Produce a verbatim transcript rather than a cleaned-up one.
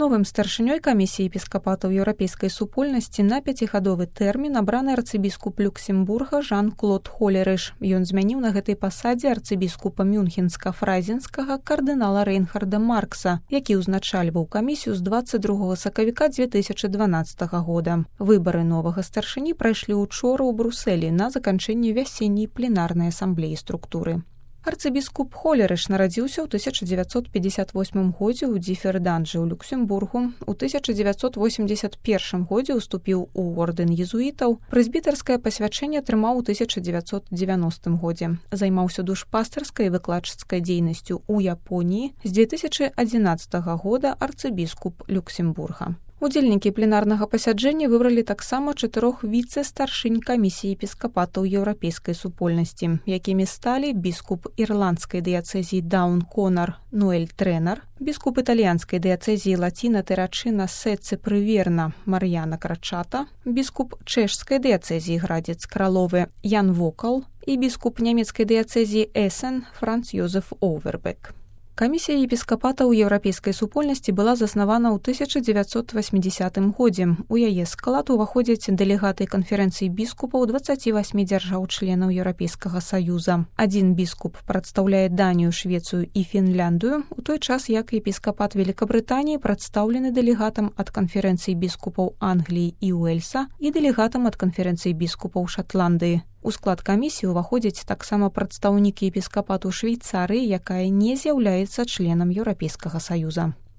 Новым старшынёй камісіі епіскапатаў еўрапейскай супольнасці на пяцігадовы тэрмін абраны арцыбіскуп Люксембурга Жан-Клод Холерыш. Ён змяніў на гэтай пасадзе арцыбіскупа Мюнхенска-Фрайзенскага кардынала Рейнхарда Маркса, які ўзначальваў камісію з дваццаць другога сакавіка дзве тысячы дванаццатага года. Выбары новага старшыні прайшлі учора ў Брусэлі на заканчэнні вясенняй пленарнай асамблеі структуры. Арцыбіскуп Холерыш нарадзіўся ў тысяча дзевяцьсот пятьдесят восьмым годзе ў Дзіферданджы ў Люксембургу. У тысяча дзевяцьсот восемьдесят першым годзе ўступіў у ордэн езуітаў. Прэзбітарскае пасвячэнне атрымаў у тысяча дзевяцьсот дзевяностым годзе. Займаўся душпастарскай і выкладчыцкай дзейнасцю ў Японіі. З дзве тысячы адзінаццатага года арцыбіскуп Люксембурга. Удзельнікі пленарнага пасяджэння выбралі таксама чатырох віцэ-старшынь камісіі епіскапатаў еўрапейскай супольнасці, якімі сталі біскуп ірландскай дыяцэзіі Даун-Конар Ноэль Трэнар, біскуп італьянскай дыяцэзіі Лаціна-Тэрачына Сэцэ Прыверна Мар'яна Крачата, біскуп чэшскай дыяцэзіі Градзец Краловы Ян Вокал і біскуп нямецкай дыяцэзіі Эсен Франц Йозеф Овербек. Камісія епіскапатаў еўрапейскай супольнасці была заснавана ў тысяча дзевяцьсот васьмідзясятым годзе. У яе склад уваходзяць дэлегаты канферэнцыі біскупаў дваццаці васьмі дзяржаў-членаў Еўрапейскага саюза. Адзін біскуп прадстаўляе Данію, Швецыю і Фінляндыю, у той час як епіскапат Великабрытаніі прадстаўлены дэлегатам ад канферэнцыі біскупаў Англіі і Уэльса і дэлегатам ад канферэнцыі біскупаў Шатландыі. У склад камісіі ўваходзяць таксама прадстаўнікі епіскапату Швейцарыі, якая не з'яўляецца членам Еўрапейскага саюза.